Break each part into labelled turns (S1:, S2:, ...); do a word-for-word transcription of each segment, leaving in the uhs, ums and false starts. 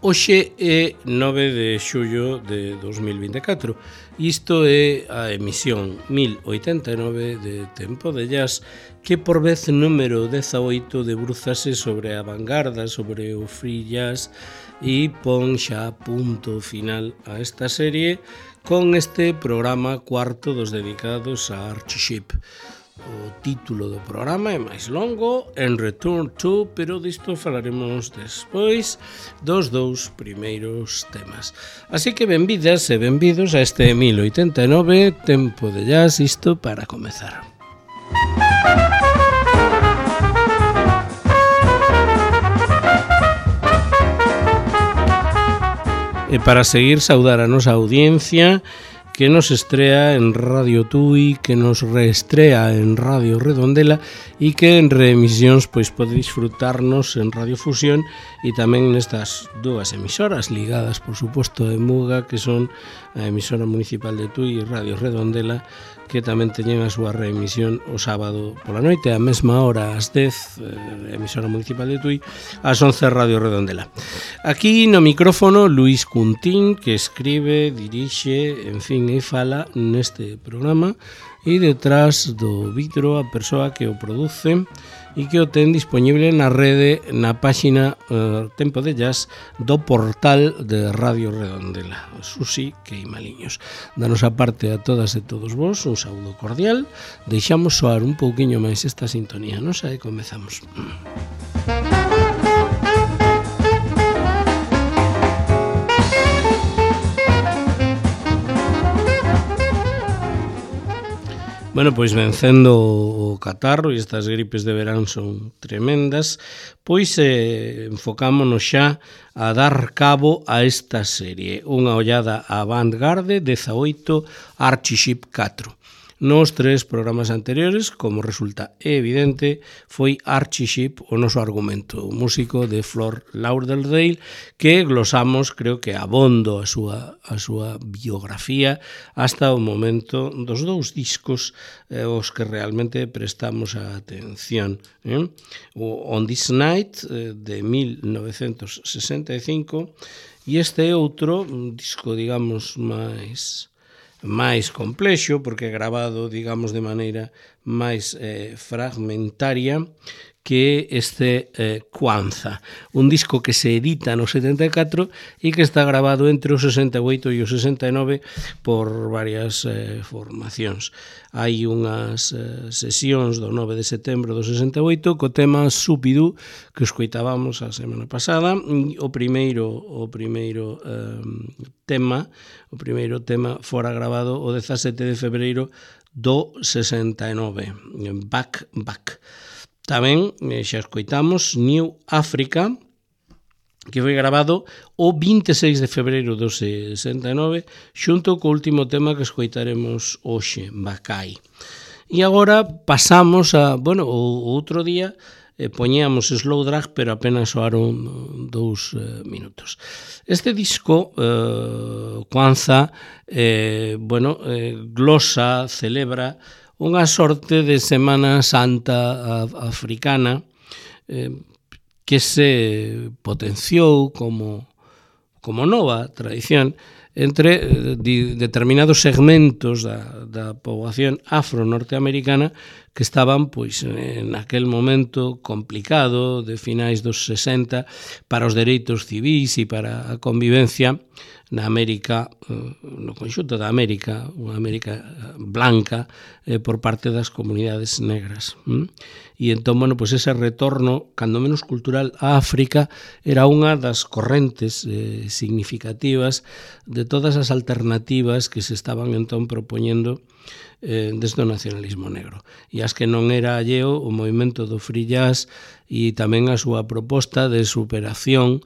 S1: Hoxe é nove de xullo de dos mil vinte e catro. Isto é a emisión mil oitenta e nove de Tempo de Jazz, que por vez número dezaoito debrúzase sobre a vanguarda, sobre o free jazz, e pon xa punto final a esta serie con este programa cuarto dos dedicados a Archie Shepp. O título do programa é máis longo, En Return to, pero disto falaremos despois dos dous primeiros temas. Así que benvidas e benvidos a este mil oitenta e nove Tempo de Jazz, isto para comezar. E para seguir, saudar a nosa audiencia que nos estrea en Radio Tui, que nos reestrea en Radio Redondela e que en reemisións pois pode disfrutarnos en Radio Fusión e tamén nestas dúas emisoras ligadas, por suposto, a Muga, que son a emisora municipal de Tui e Radio Redondela, que tamén teñen a súa reemisión o sábado pola noite, a mesma hora, ás dez, eh, emisora municipal de Tui, ás once, Radio Redondela. Aquí no micrófono, Luis Cuntín, que escribe, dirixe, en fin, e fala neste programa, e detrás do vidro a persoa que o produce e que o ten disponible na rede, na páxina uh, Tempo de Jazz do portal de Radio Redondela, Susi Queimaliños. Da nosa parte a todas e todos vos, un saúdo cordial. Deixamos soar un pouquiño máis esta sintonía, non sei, comezamos. Bueno, pois vencendo o catarro, e estas gripes de verán son tremendas, pois eh, enfocámonos xa a dar cabo a esta serie. Unha ollada a Vanguarde, dezaoito, Archie Shepp catro. Nos tres programas anteriores, como resulta evidente, foi Archie Shepp o noso argumento, o músico de Fort Lauderdale, que glosamos, creo que abondo a súa, a súa biografía hasta o momento dos dous discos eh, os que realmente prestamos a atención. Eh? O On This Night, eh, de mil novecentos sesenta e cinco, e este outro, un disco, digamos, máis... máis complexo, porque é grabado, digamos, de maneira máis eh, fragmentaria, que este eh, Kwanzaa, un disco que se edita no setenta e catro e que está grabado entre o sesenta e oito e o sesenta e nove por varias eh, formacións. Hai unhas eh, sesións do nove de setembro do sesenta e oito co tema Supidú, que escoitábamos a semana pasada. O primeiro o primeiro eh, tema, o primeiro tema fora grabado o dezasete de febreiro do sesenta e nove, Back Back. Tamén xa escoitamos New Africa, que foi grabado o vinte e seis de febreiro do sesenta e nove, xunto co último tema que escoitaremos hoxe, Bacai. E agora pasamos a, bueno, o outro día eh, poñíamos Slow Drag, pero apenas soaron dous eh, minutos. Este disco, eh, Kwanzaa, eh, bueno, eh, glosa, celebra unha sorte de Semana Santa africana eh, que se potenciou como, como nova tradición entre eh, determinados segmentos da, da poboación afro-norteamericana que estaban, pois, en aquel momento complicado de finais dos sesenta para os dereitos civís e para a convivencia na América, no conxunto da América, unha América blanca eh, por parte das comunidades negras. Mm? E entón, bueno, pois ese retorno, cando menos cultural, a África era unha das correntes eh, significativas de todas as alternativas que se estaban entón propoñendo eh, desde o nacionalismo negro. E as que non era alleo o movimento do free jazz e tamén a súa proposta de superación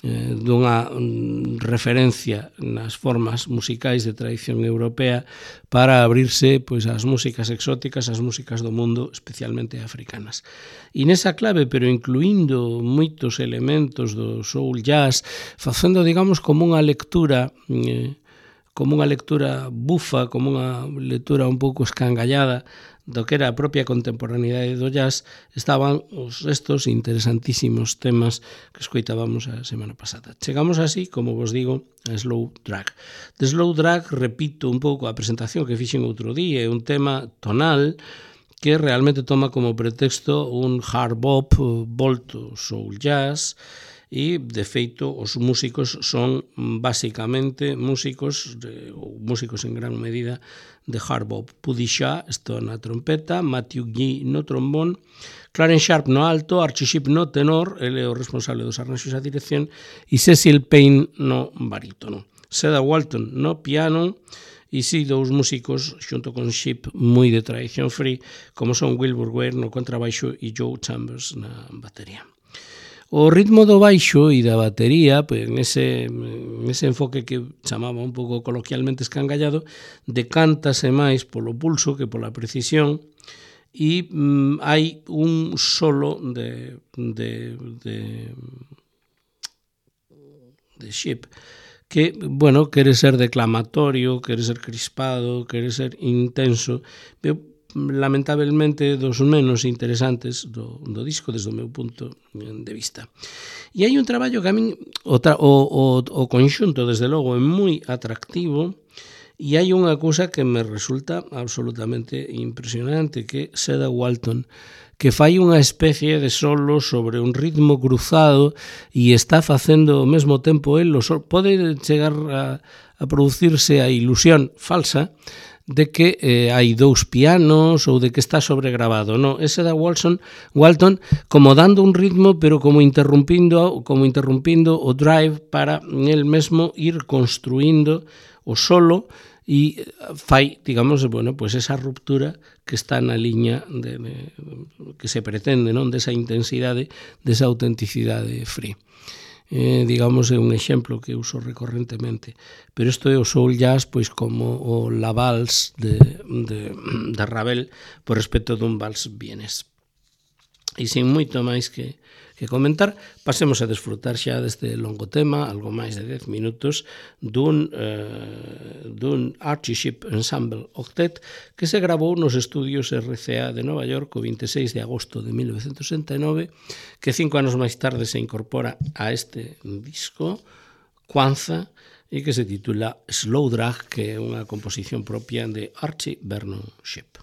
S1: eh, dunha mm, referencia nas formas musicais de tradición europea para abrirse, pois, ás músicas exóticas, ás músicas do mundo, especialmente africanas. E nesa clave, pero incluindo moitos elementos do soul jazz, facendo, digamos, como unha lectura eh, como unha lectura bufa, como unha lectura un pouco escangallada do que era a propia contemporaneidade do jazz, estaban os estos interesantísimos temas que escoitábamos a semana pasada. Chegamos así, como vos digo, a Slow Drag. De Slow Drag, repito un pouco a presentación que fixen outro día, é un tema tonal que realmente toma como pretexto un hard bop volto soul jazz, e, de feito, os músicos son basicamente músicos, de, ou músicos en gran medida, de hard bop. Puddy Shah está na trompeta, Matthew Gee no trombón, Clarence Sharp no alto, Archie Shepp no tenor, ele é o responsable dos arranxos e a dirección, e Cecil Payne no barítono. Cedar Walton no piano, e si dous músicos xunto con Shepp moi de tradición free, como son Wilbur Ware no contrabaixo e Joe Chambers na batería. O ritmo do baixo e da batería, pois, nese, nese enfoque que chamaba un pouco coloquialmente escangallado, decántase máis polo pulso que pola precisión, e mm, hai un solo de, de, de, de Shepp que, bueno, quere ser declamatorio, quere ser crispado, quere ser intenso, pero lamentablemente dos menos interesantes do, do disco desde o meu punto de vista. E hai un traballo que a min o, tra, o, o, o conxunto desde logo é moi atractivo, e hai unha cousa que me resulta absolutamente impresionante, que é Cedar Walton, que fai unha especie de solo sobre un ritmo cruzado e está facendo ao mesmo tempo el, pode chegar a, a producirse a ilusión falsa de que eh, hai dous pianos ou de que está sobregrabado. No, ese da Walton, Walton como dando un ritmo, pero como interrumpindo, como interrumpindo o drive para el mesmo ir construindo o solo e fai, digamos, bueno, pues esa ruptura que está na liña de, de, que se pretende, non, desa intensidade, desa autenticidade free. Eh, digamos, é un exemplo que uso recorrentemente, pero isto é o soul jazz pois como o la vals de, de, de Ravel por respecto dun vals vienés. E sin moito máis que, que comentar, pasemos a desfrutar xa deste longo tema, algo máis de dez minutos, dun, eh, dun Archie Shepp Ensemble Octet que se grabou nos estudios R C A de Nova York o vinte e seis de agosto de mil novecientos sesenta e nove, que cinco anos máis tarde se incorpora a este disco, Kwanzaa, e que se titula Slow Drag, que é unha composición propia de Archie Vernon Shepp.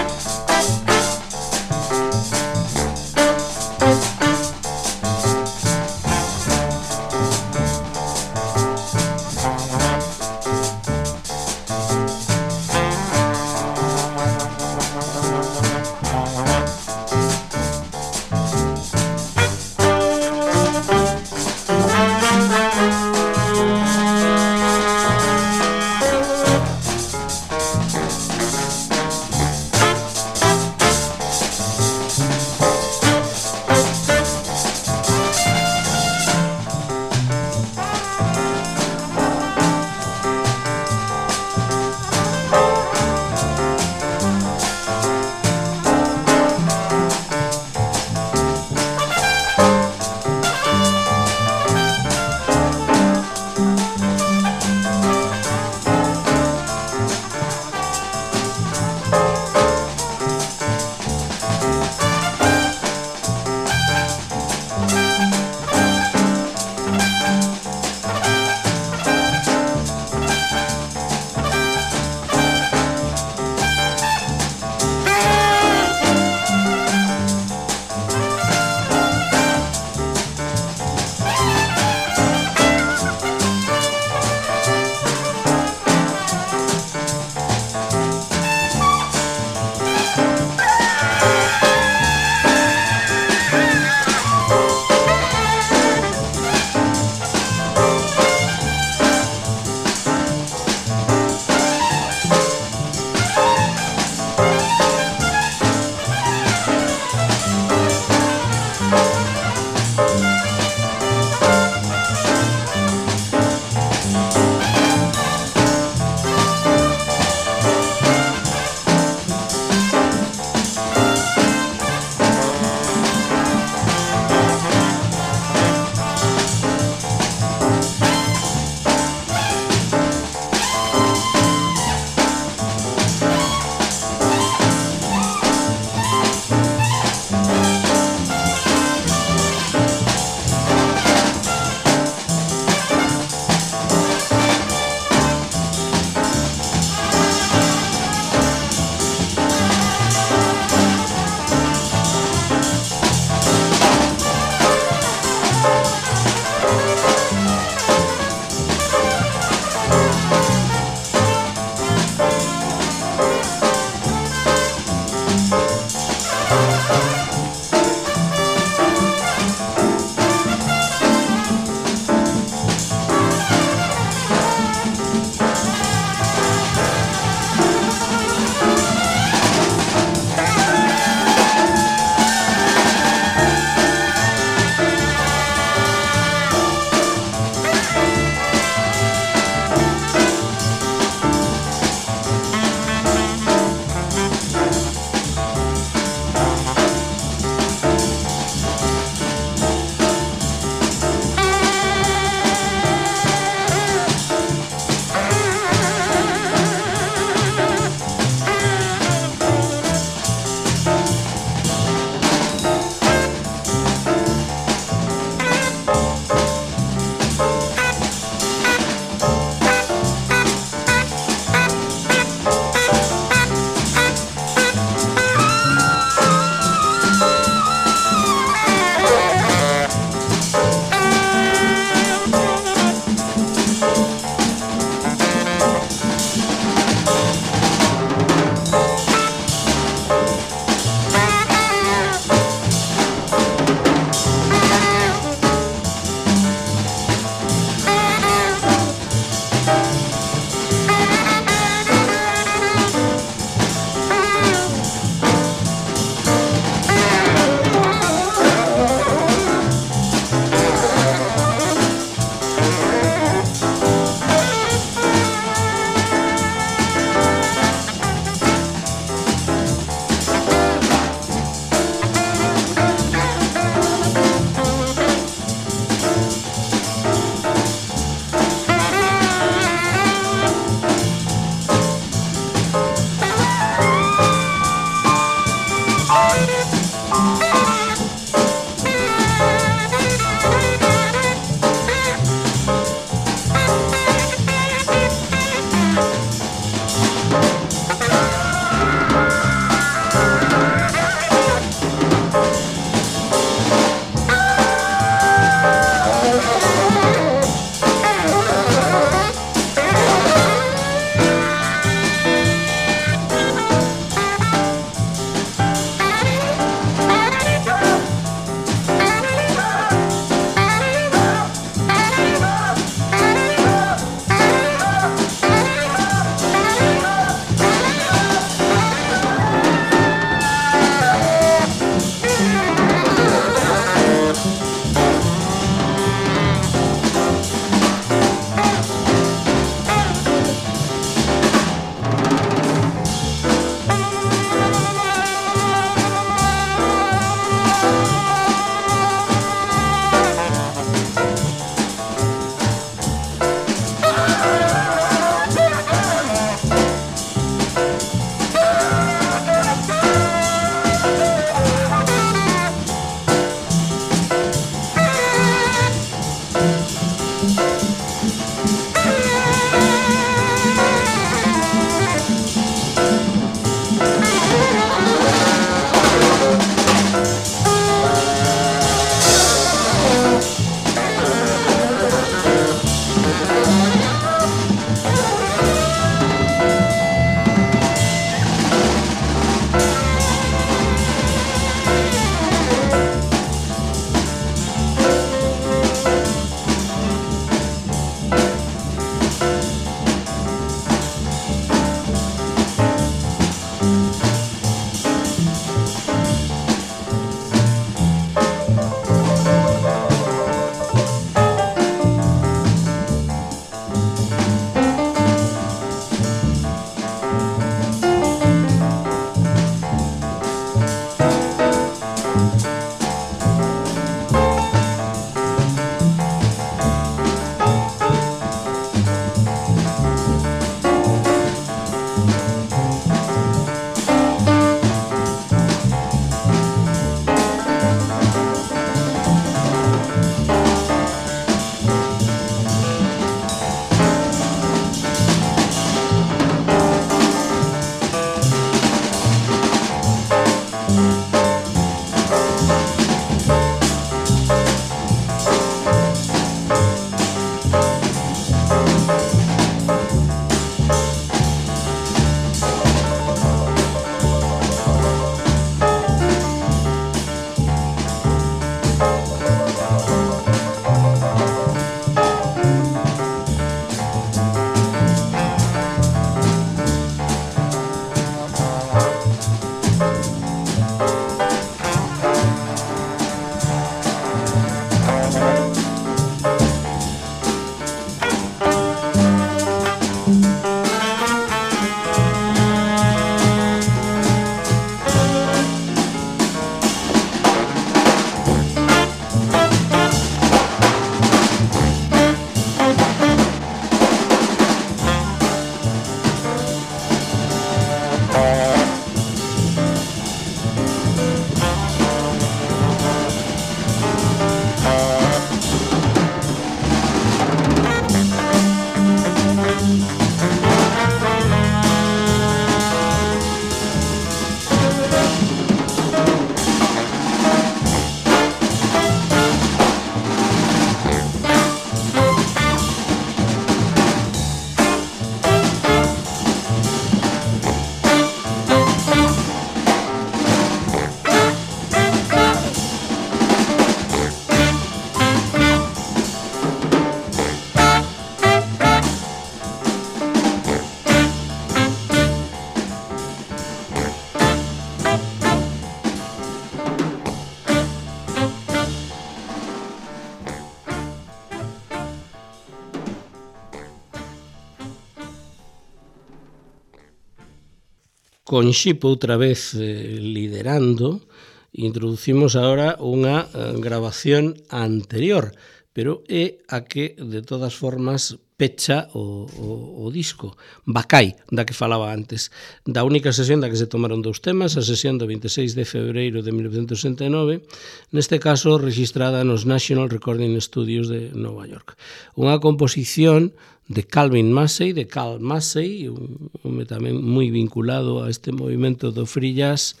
S1: con Xip outra vez eh, liderando, introducimos agora unha eh, grabación anterior, pero é a que, de todas formas, pecha o, o, o disco, Bacai, da que falaba antes, da única sesión da que se tomaron dous temas, a sesión do veintiséis de febreiro de mil novecentos sesenta e nove, neste caso registrada nos National Recording Studios de Nova York. Unha composición de Calvin Massey, de Cal Massey, un home tamén moi vinculado a este movimento do free jazz,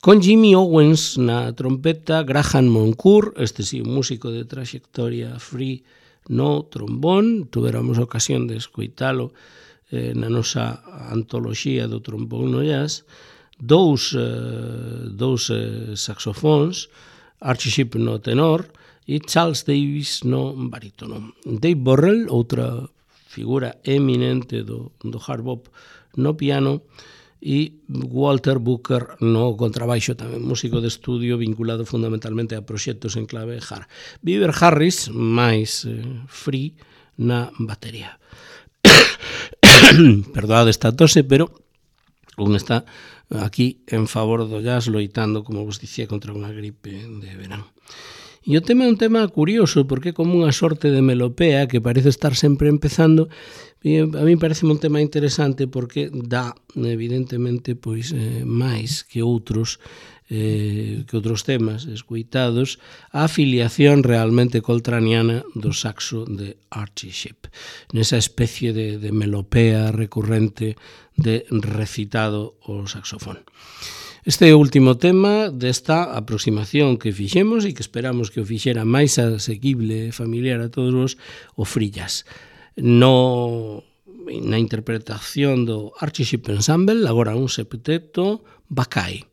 S1: con Jimmy Owens na trompeta, Graham Moncourt, este sí, un músico de trayectoria free no trombón, tuveramos ocasión de escoitalo eh, na nosa antoloxía do trombón no jazz, dous, eh, dous eh, saxofóns, Archie Shepp no tenor e Charles Davis no barítono. Dave Borrell, outra figura eminente do, do hard bop no piano, e Walter Booker no contrabaixo, tamén músico de estudio vinculado fundamentalmente a proxectos en clave hard. Beaver Harris, máis eh, free na batería. Perdoade esta tose, pero un está aquí en favor do jazz loitando, como vos dicía, contra unha gripe de verán. E o tema é un tema curioso, porque é como unha sorte de melopea que parece estar sempre empezando. E a mí parece un tema interesante porque dá, evidentemente, pois eh, máis que outros eh, que outros temas escoitados a afiliación realmente coltraniana do saxo de Archie Shepp, nesa especie de, de melopea recurrente de recitado o saxofón. Este é o último tema desta aproximación que fixemos e que esperamos que o fixera máis asequible e familiar a todos vos, o free jazz. No, na interpretación do Archie Shepp Ensemble, agora un septeto, Bacai.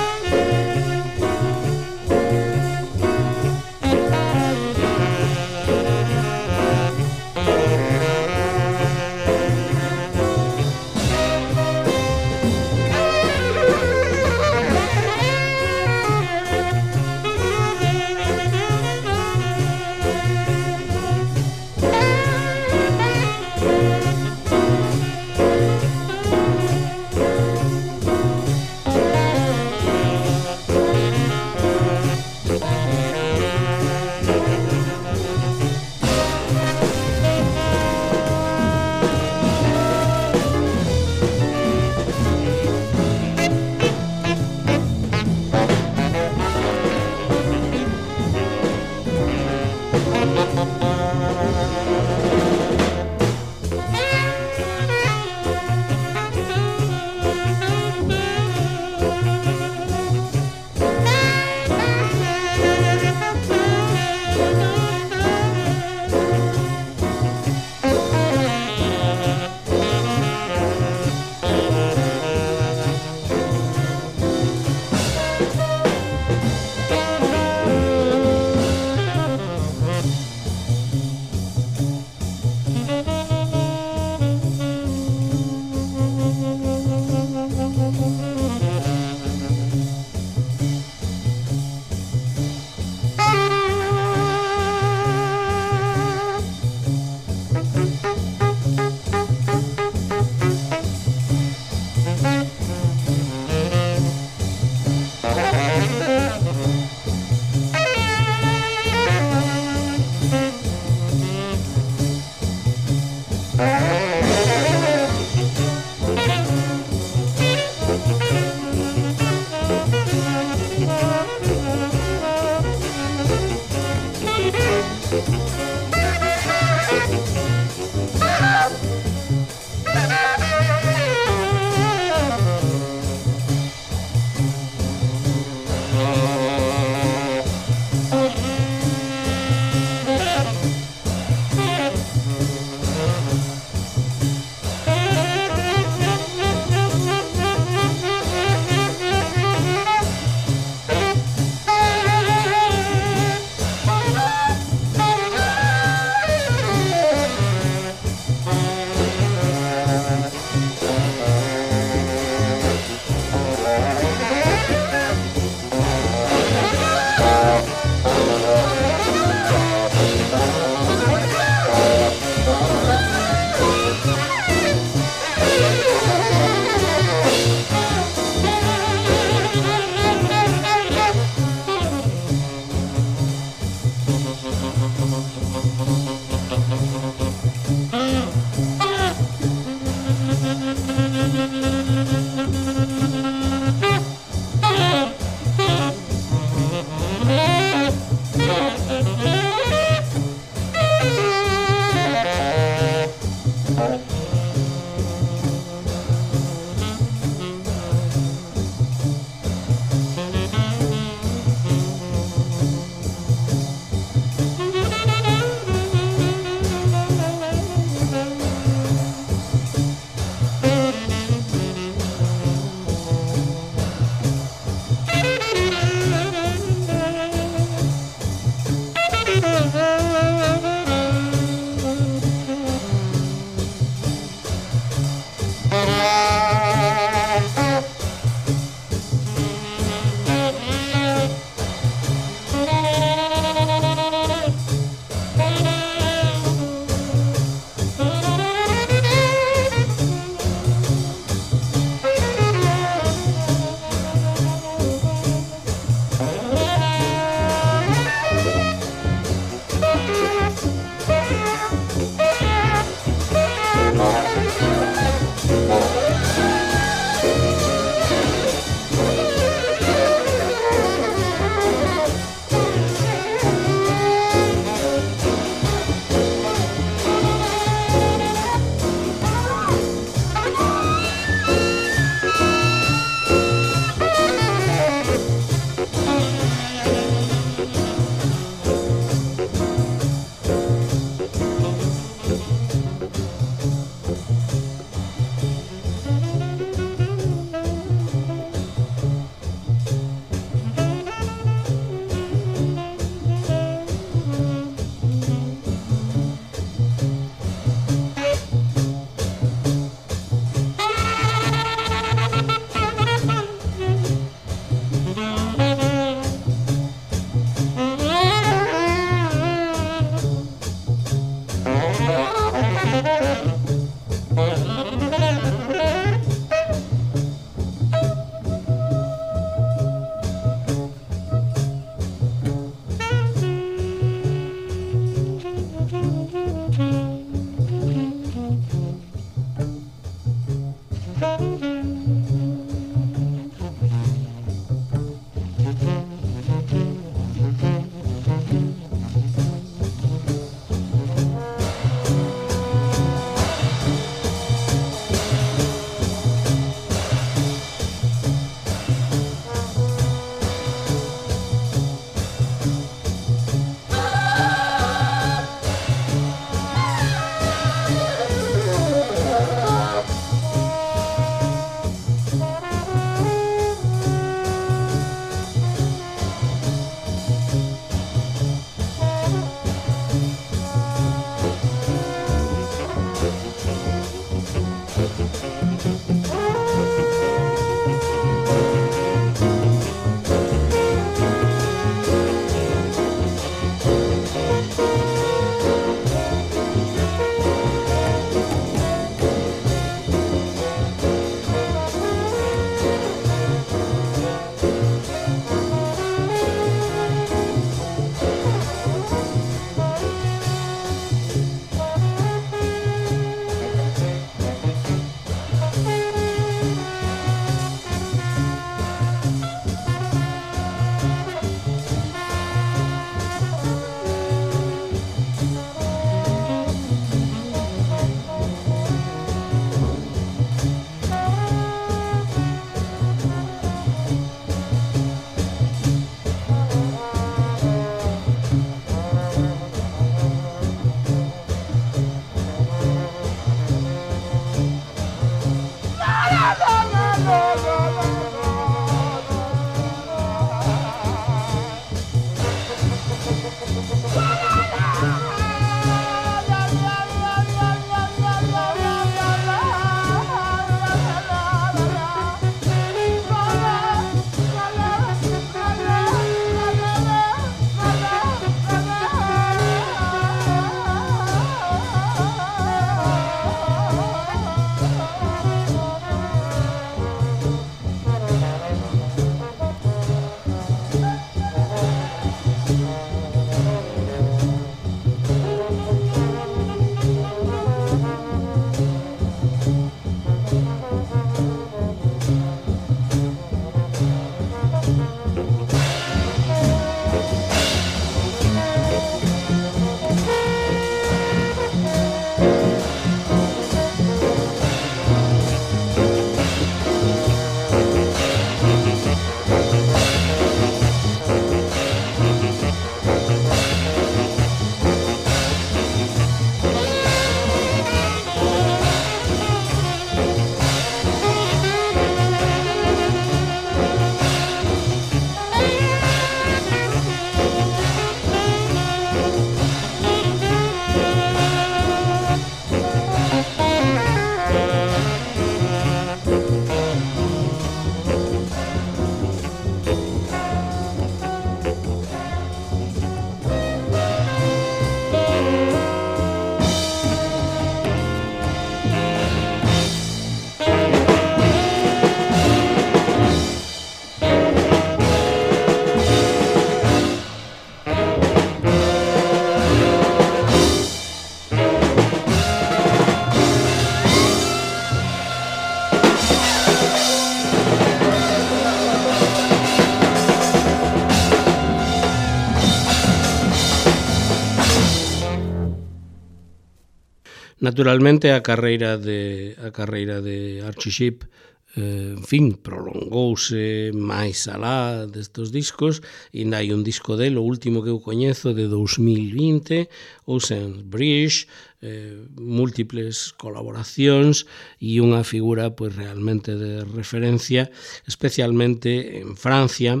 S1: Naturalmente a carreira de a carreira de Archie Shepp, eh, en fin, prolongouse máis alá destes discos, e ainda hai un disco dele, o último que eu coñezo, de dos mil vinte, Ocean Bridge, eh, múltiples colaboracións e unha figura pois realmente de referencia, especialmente en Francia,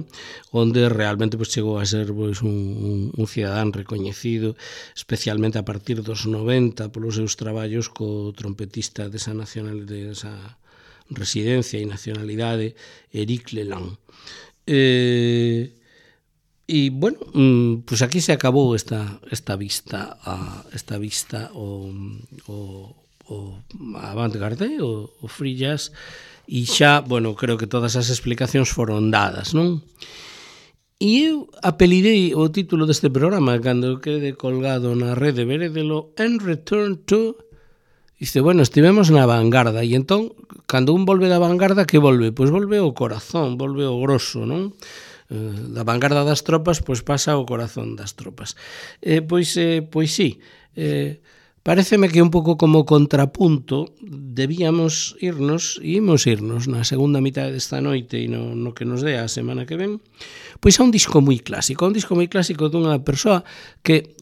S1: onde realmente pois chegou a ser pois un, un, un cidadán recoñecido, especialmente a partir dos noventa polos seus traballos co trompetista desa nacionalidade, desa residencia e nacionalidade, Eric Leland. Eh, e, bueno, pues aquí se acabou esta, esta vista a, esta vista o, o, o avant-garde, o, o free jazz, e xa, bueno, creo que todas as explicacións foron dadas, non? E eu apelidei o título deste programa cando quede colgado na rede, verédelo, En Return to... Dice, bueno, estivemos na vanguarda, e entón, cando un volve da vanguarda, que volve? Pois volve o corazón, volve o grosso, non? Eh, da vanguarda das tropas, pois pasa o corazón das tropas. Eh, pois, eh, pois sí, eh, pareceme que un pouco como contrapunto debíamos irnos, e imos irnos na segunda mitad desta noite e no, no que nos dé a semana que ven, pois a un disco moi clásico, un disco moi clásico dunha persoa que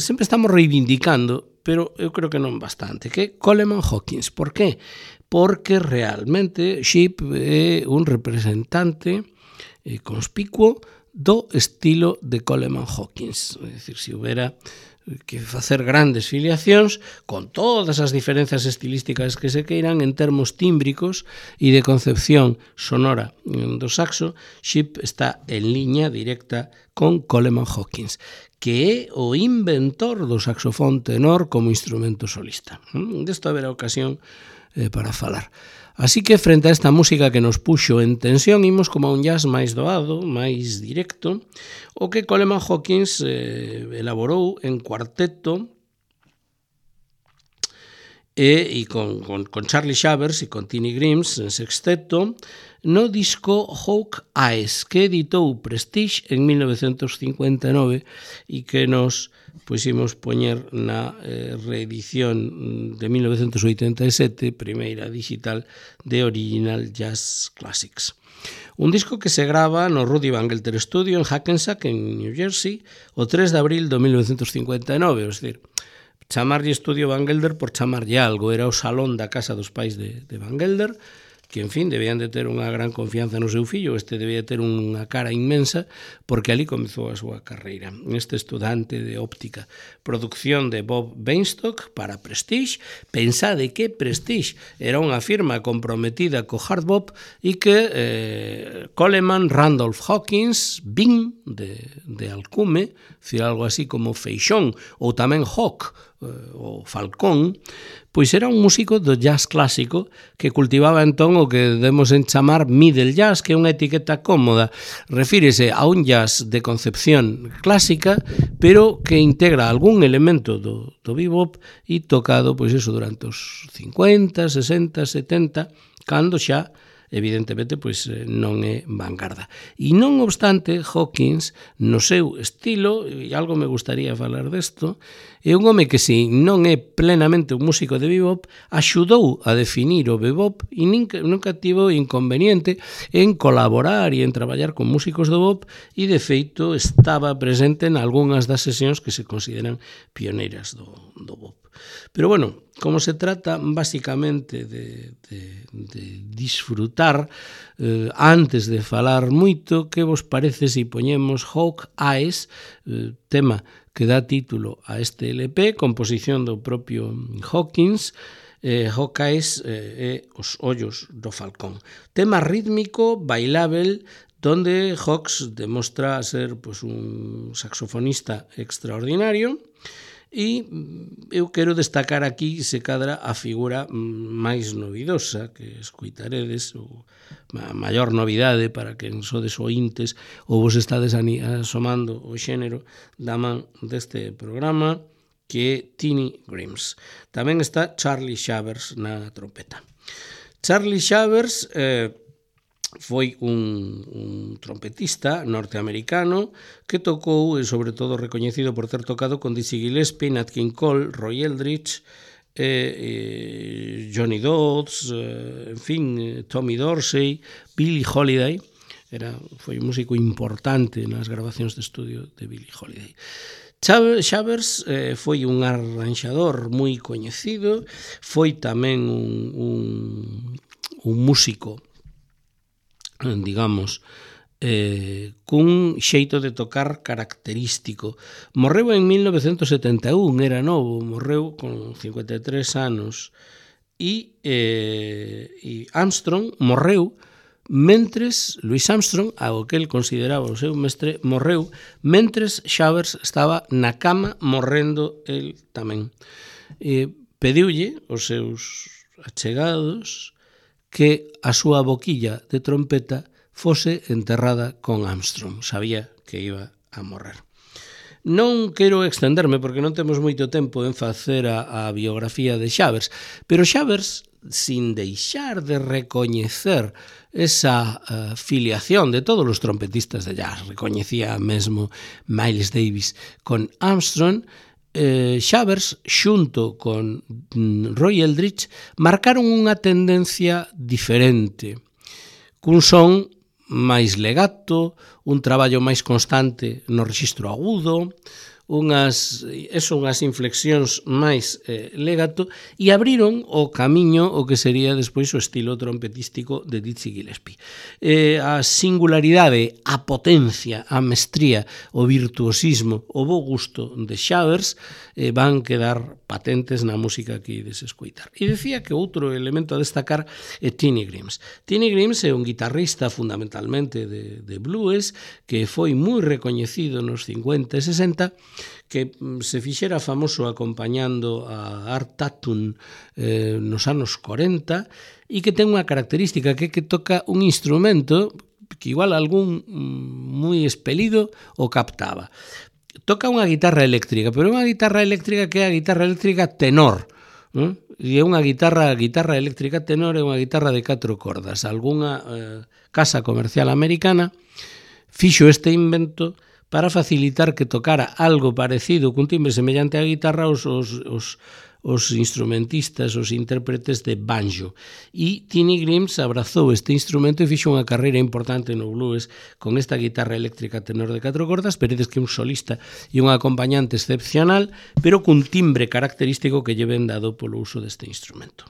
S1: sempre estamos reivindicando, pero eu creo que non bastante, que é Coleman Hawkins. Por qué? Porque realmente Shepp é un representante eh, conspicuo do estilo de Coleman Hawkins. É dicir, se houbera que facer grandes filiacións con todas as diferenzas estilísticas que se queiran en termos tímbricos e de concepción sonora do saxo, Shepp está en liña directa con Coleman Hawkins, que é o inventor do saxofón tenor como instrumento solista. Desto haberá ocasión eh, para falar. Así que, frente a esta música que nos puxo en tensión, imos como a un jazz máis doado, máis directo, o que Coleman Hawkins eh, elaborou en cuarteto e, e con, con, con Charlie Shavers e con Tiny Grimes en sexteto, no disco Hawk Eyes, que editou Prestige en mil novecentos cincuenta e nove e que nos puximos poñer na eh, reedición de mil novecentos oitenta e sete, primeira digital de Original Jazz Classics. Un disco que se grava no Rudy Van Gelder Studio en Hackensack, en New Jersey, o tres de abril de mil novecentos cincuenta e nove, é dicir, chamarlle Estudio Van Gelder por chamarlle algo, era o salón da casa dos pais de, de Van Gelder, que, en fin, debían de ter unha gran confianza no seu fillo, este debía ter unha cara inmensa, porque ali comezou a súa carreira. Este estudante de óptica, producción de Bob Bainstock para Prestige, pensade que Prestige era unha firma comprometida co hard bop e que eh, Coleman, Randolph Hawkins, Bing, de, de alcume, decir, algo así como Feixón, ou tamén Hawk, o Falcón, pois era un músico do jazz clásico que cultivaba entón o que debemos en chamar middle jazz, que é unha etiqueta cómoda. Refírese a un jazz de concepción clásica, pero que integra algún elemento do, do bebop e tocado, pois eso, durante os cincuenta, sesenta, setenta, cando xa evidentemente, pois non é vanguarda. E non obstante, Hawkins, no seu estilo, e algo me gustaría falar desto, é un home que, se non é plenamente un músico de bebop, axudou a definir o bebop e nunca tivo inconveniente en colaborar e en traballar con músicos do bebop e, de feito, estaba presente en algunhas das sesións que se consideran pioneiras do, do bebop. Pero, bueno, como se trata básicamente de, de, de disfrutar, eh, antes de falar moito, que vos parece se poñemos Hawk Eyes, eh, tema que dá título a este L P, composición do propio Hawkins, eh, Hawk Eyes eh, e os ollos do falcón. Tema rítmico, bailável, donde Hawks demostra ser pues, un saxofonista extraordinario. E eu quero destacar aquí, se cadra, a figura máis novidosa que escoitaredes, ou a maior novidade para quen sodes ointes ou vos estades asomando o xénero da man deste programa, que é Tiny Grimes. Tamén está Charlie Shavers na trompeta. Charlie Shavers eh, foi un, un trompetista norteamericano que tocou, e sobre todo recoñecido por ter tocado con Dizzy Gillespie, Nat King Cole, Roy Eldridge, eh, eh, Johnny Dodds, eh, en fin, eh, Tommy Dorsey, Billie Holiday, era, foi un músico importante nas grabacións de estudio de Billie Holiday. Shavers eh, foi un arranxador moi coñecido, foi tamén un, un, un músico, digamos, eh, cun xeito de tocar característico. Morreu en mil novecentos setenta e un, era novo, morreu con cincuenta e tres anos, e, eh, e Armstrong morreu mentres, Louis Armstrong, ao que el consideraba o seu mestre, morreu mentres Shavers estaba na cama morrendo el tamén. Eh, pediulle aos seus achegados que a súa boquilla de trompeta fose enterrada con Armstrong. Sabía que iba a morrer. Non quero extenderme porque non temos moito tempo en facer a, a biografía de Shavers, pero Shavers, sin deixar de recoñecer esa uh, filiación de todos os trompetistas de jazz, recoñecía mesmo Miles Davis con Armstrong, eh, Shavers, xunto con mm, Roy Eldridge, marcaron unha tendencia diferente, cun son máis legato, un traballo máis constante no rexistro agudo, unhas, eso, unhas inflexións máis eh, legato, e abriron o camiño o que sería despois o estilo trompetístico de Dizzy Gillespie. Eh, a singularidade, a potencia, a mestría, o virtuosismo, o bo gusto de Shavers eh, van quedar patentes na música que ides escoitar. E decía que outro elemento a destacar é Tiny Grimes. Tiny Grimes é un guitarrista fundamentalmente de, de blues que foi moi recoñecido nos cincuenta e sesenta, que se fixera famoso acompañando a Art Tatum eh, nos anos corenta, e que ten unha característica que é que toca un instrumento que igual algún moi espelido o captaba. Toca unha guitarra eléctrica, pero unha guitarra eléctrica que é a guitarra eléctrica tenor, ¿eh? E é unha guitarra, guitarra eléctrica tenor é unha guitarra de catro cordas. Algúnha eh, casa comercial americana fixo este invento para facilitar que tocara algo parecido cun timbre semellante á guitarra os, os, os, os instrumentistas, os intérpretes de banjo. E Tiny Grimes abrazou este instrumento e fixo unha carreira importante no blues con esta guitarra eléctrica tenor de catro cordas, veredes que un solista e un acompañante excepcional, pero cun timbre característico que lle ven dado polo uso deste instrumento.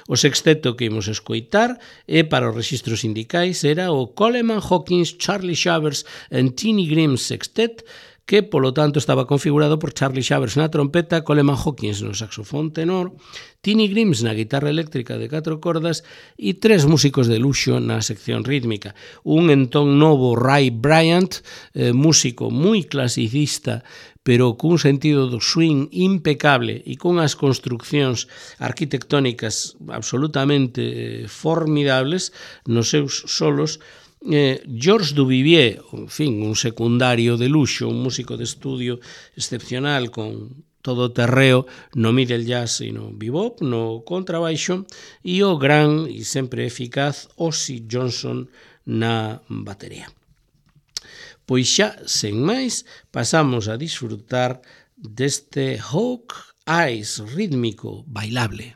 S1: O sexteto que imos escoitar e para os rexistros sindicais era o Coleman Hawkins, Charlie Shavers and Tiny Grimes Sextet, que, polo tanto, estaba configurado por Charlie Shavers na trompeta, Coleman Hawkins no saxofón tenor, Tiny Grimes na guitarra eléctrica de catro cordas e tres músicos de luxo na sección rítmica. Un entón novo Ray Bryant, eh, músico moi clasicista, pero cun sentido do swing impecable e cunhas construccións arquitectónicas absolutamente eh, formidables nos seus solos. Eh, George Duvivier, en fin, un secundario de luxo, un músico de estudio excepcional con todo terreo no middle jazz e no bebop, no contrabaixo, e o gran e sempre eficaz Ozzy Johnson na batería. Pois xa, sen máis, pasamos a disfrutar deste Hawk Eyes rítmico bailable.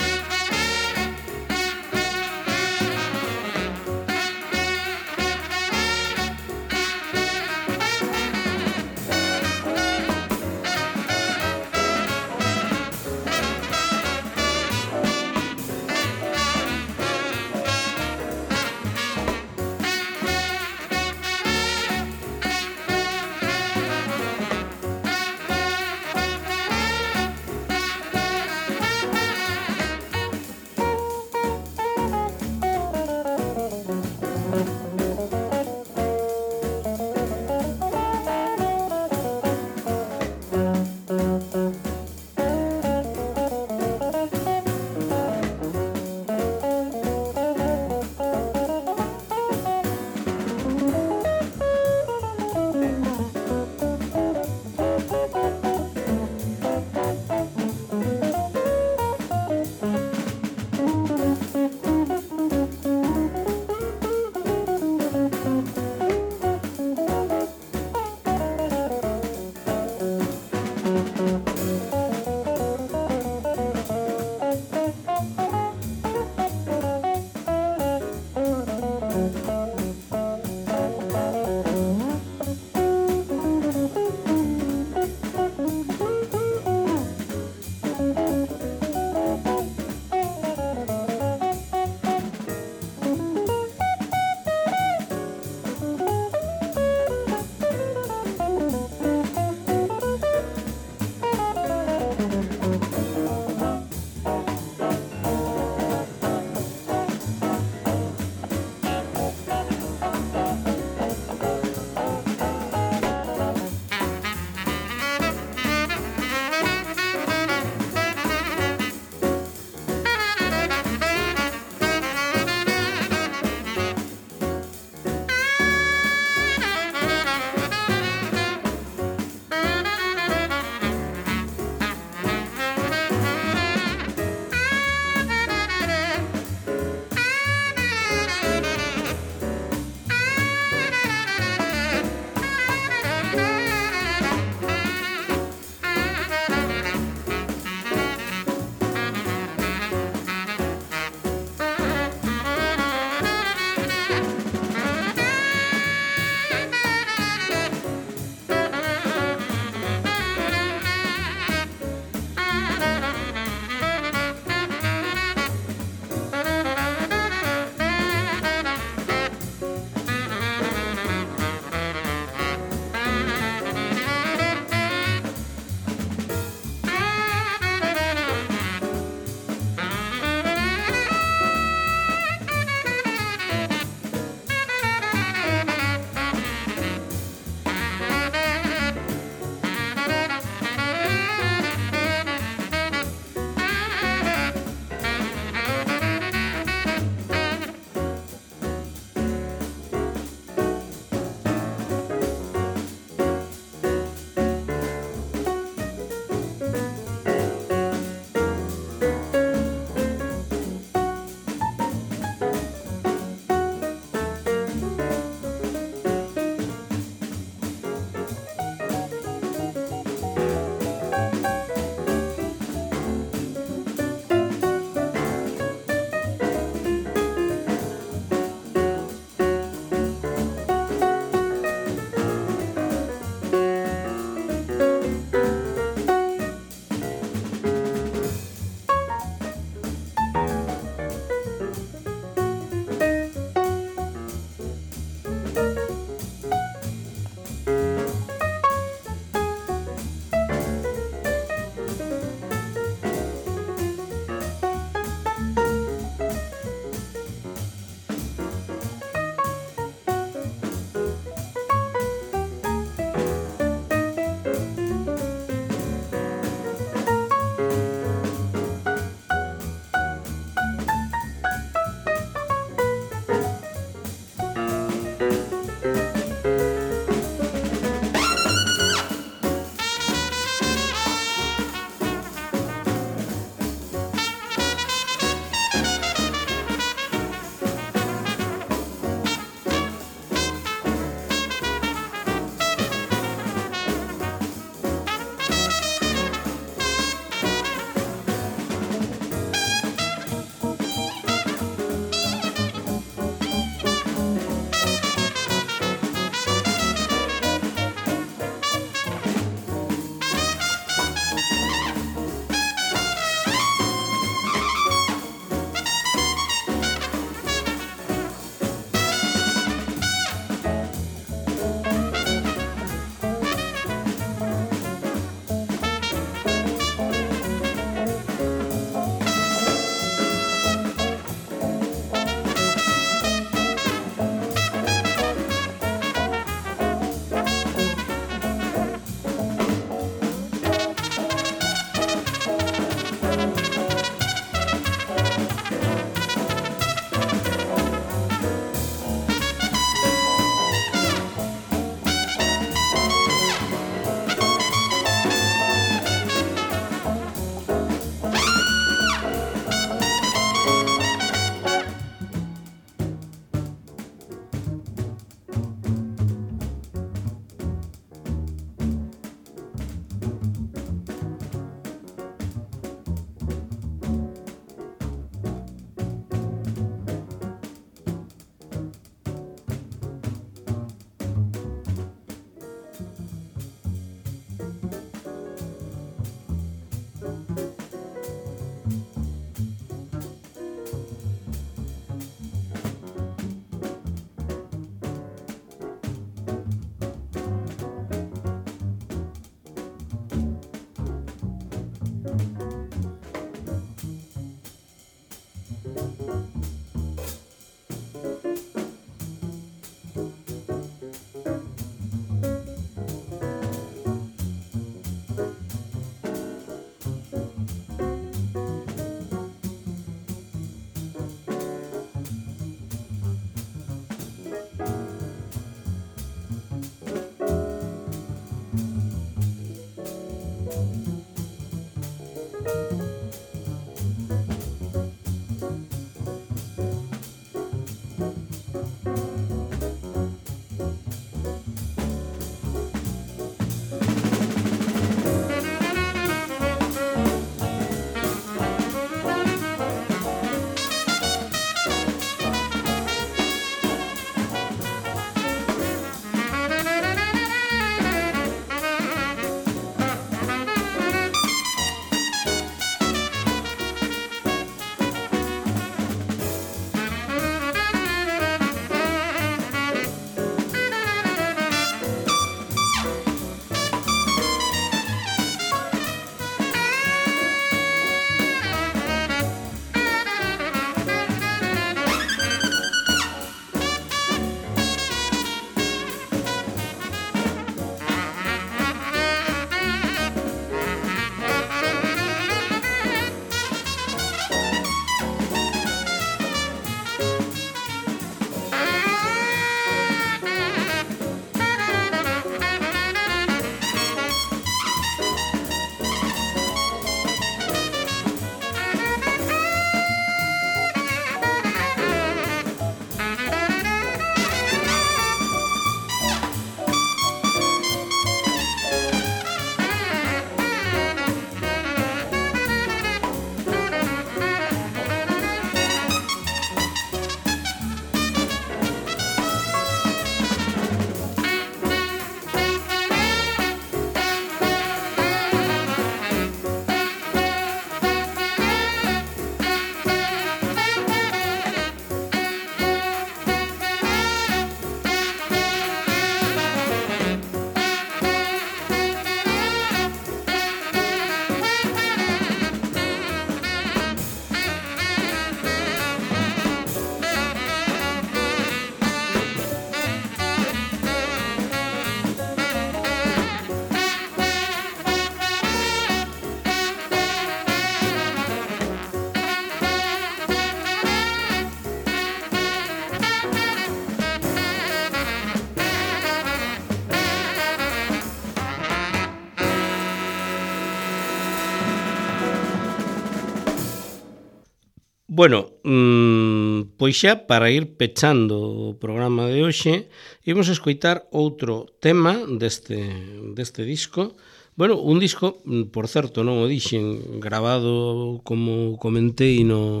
S1: Bueno, mmm, pois xa para ir pechando o programa de hoxe, imos escoitar outro tema deste, deste disco. Bueno, un disco, por certo, non o dixen, grabado, como comentei, no,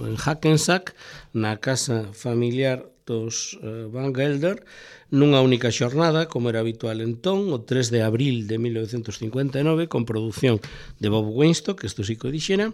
S1: en Hackensack, na casa familiar dos uh, Van Gelder, nunha única xornada, como era habitual entón, o tres de abril de mil novecentos cincuenta e nove, con produción de Bob Weinstock, que isto sí que o dixera,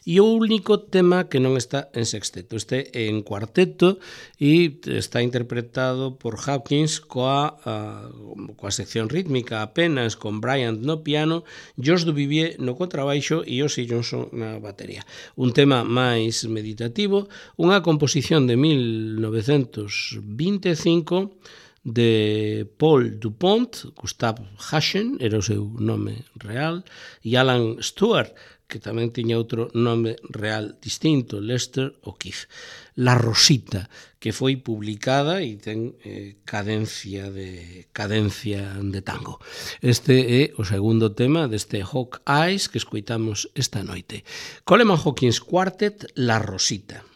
S1: e o único tema que non está en sexteto, este en cuarteto, e está interpretado por Hawkins coa, a, coa sección rítmica apenas, con Bryant no piano, George Duvivier no contrabaixo e Ozzy Johnson na batería. Un tema máis meditativo, unha composición de mil novecentos vinte e cinco de Paul Dupont, Gustav Haschen, era o seu nome real, e Alan Stewart, que tamén tiña outro nome real distinto, Lester O'Keefe. La Rosita, que foi publicada e ten eh, cadencia de cadencia de tango. Este é o segundo tema deste Hawk Eyes que escoitamos esta noite. Coleman Hawkins Quartet, La Rosita.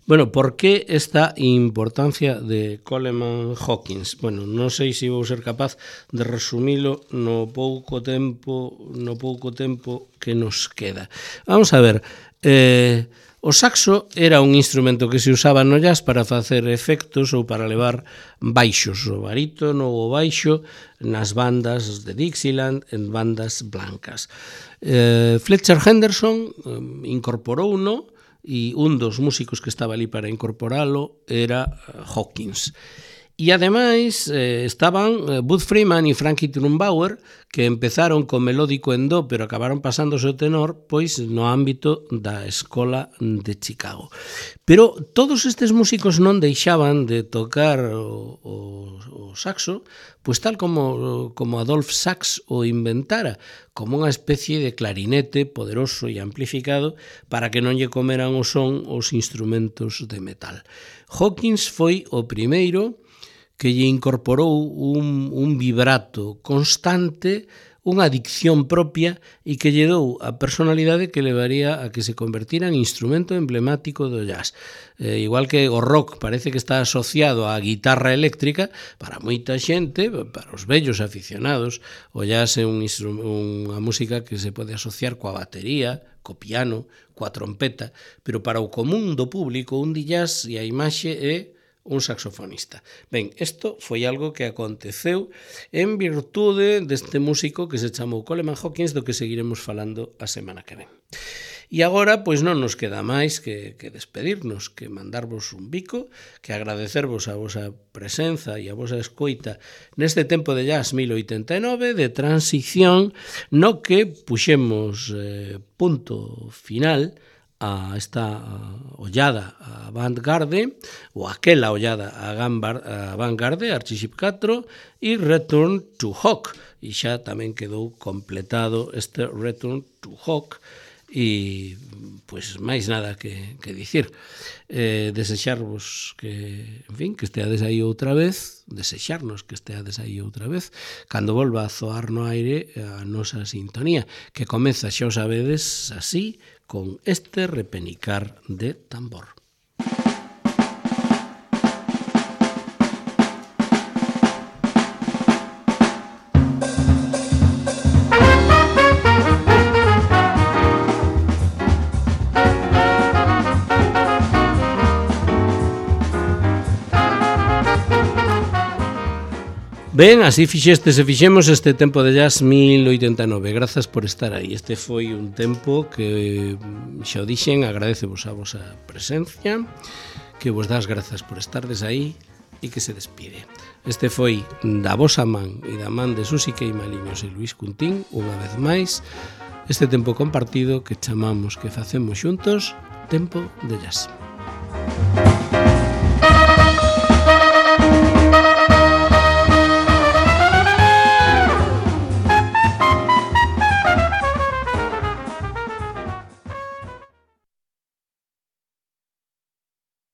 S1: Bueno, por que esta importancia de Coleman Hawkins? Bueno, non sei se vou ser capaz de resumilo no pouco tempo, no pouco tempo que nos queda. Vamos a ver, eh, o saxo era un instrumento que se usaba no jazz para facer efectos ou para levar baixos, o barítono ou o baixo nas bandas de Dixieland, en bandas blancas. Eh, Fletcher Henderson eh, incorporou uno, e un dos músicos que estaba ali para incorporalo era Hawkins. E ademais eh, estaban eh, Bud Freeman e Frankie Trumbauer, que empezaron co melódico en do, pero acabaron pasándose o tenor, pois no ámbito da Escola de Chicago. Pero todos estes músicos non deixaban de tocar o, o, o saxo, pois tal como, como Adolphe Sax o inventara, como unha especie de clarinete poderoso e amplificado para que non lle comeran o son os instrumentos de metal. Hawkins foi o primeiro que lle incorporou un, un vibrato constante, unha dicción propia e que lle dou a personalidade que levaría a que se convertira en instrumento emblemático do jazz. Eh, igual que o rock parece que está asociado á guitarra eléctrica, para moita xente, para os vellos aficionados, o jazz é un unha música que se pode asociar coa batería, co piano, coa trompeta, pero para o común do público un di jazz e a imaxe é un saxofonista. Ben, isto foi algo que aconteceu en virtude deste músico que se chamou Coleman Hawkins, do que seguiremos falando a semana que ven. E agora, pois non nos queda máis que, que despedirnos, que mandarvos un bico, que agradecervos a vosa presenza e a vosa escoita neste tempo de jazz mil oitenta e nove, de transición, no que puxemos eh, punto final a esta ollada a Vanguarde, ou aquela ollada a Vanguarde, Archiship catro, e Return to Hawk. E xa tamén quedou completado este Return to Hawk, e pois máis nada que, que dicir. Eh, desexarvos que, en fin, que esteades aí outra vez, desexarnos que esteades aí outra vez, cando volva a zoar no aire a nosa sintonía, que comeza, xa o sabedes, así, con este repenicar de tambor. Ben, así fixestes e fixemos este tempo de jazz mil oitenta e nove. Grazas por estar aí. Este foi un tempo que, xa o dixen, agradecevos a vosa presencia, que vos das grazas por estardes aí e que se despide. Este foi da vosa man e da man de Susi Queimaliños e Luís Cuntín, unha vez máis, este tempo compartido que chamamos, que facemos xuntos, tempo de jazz.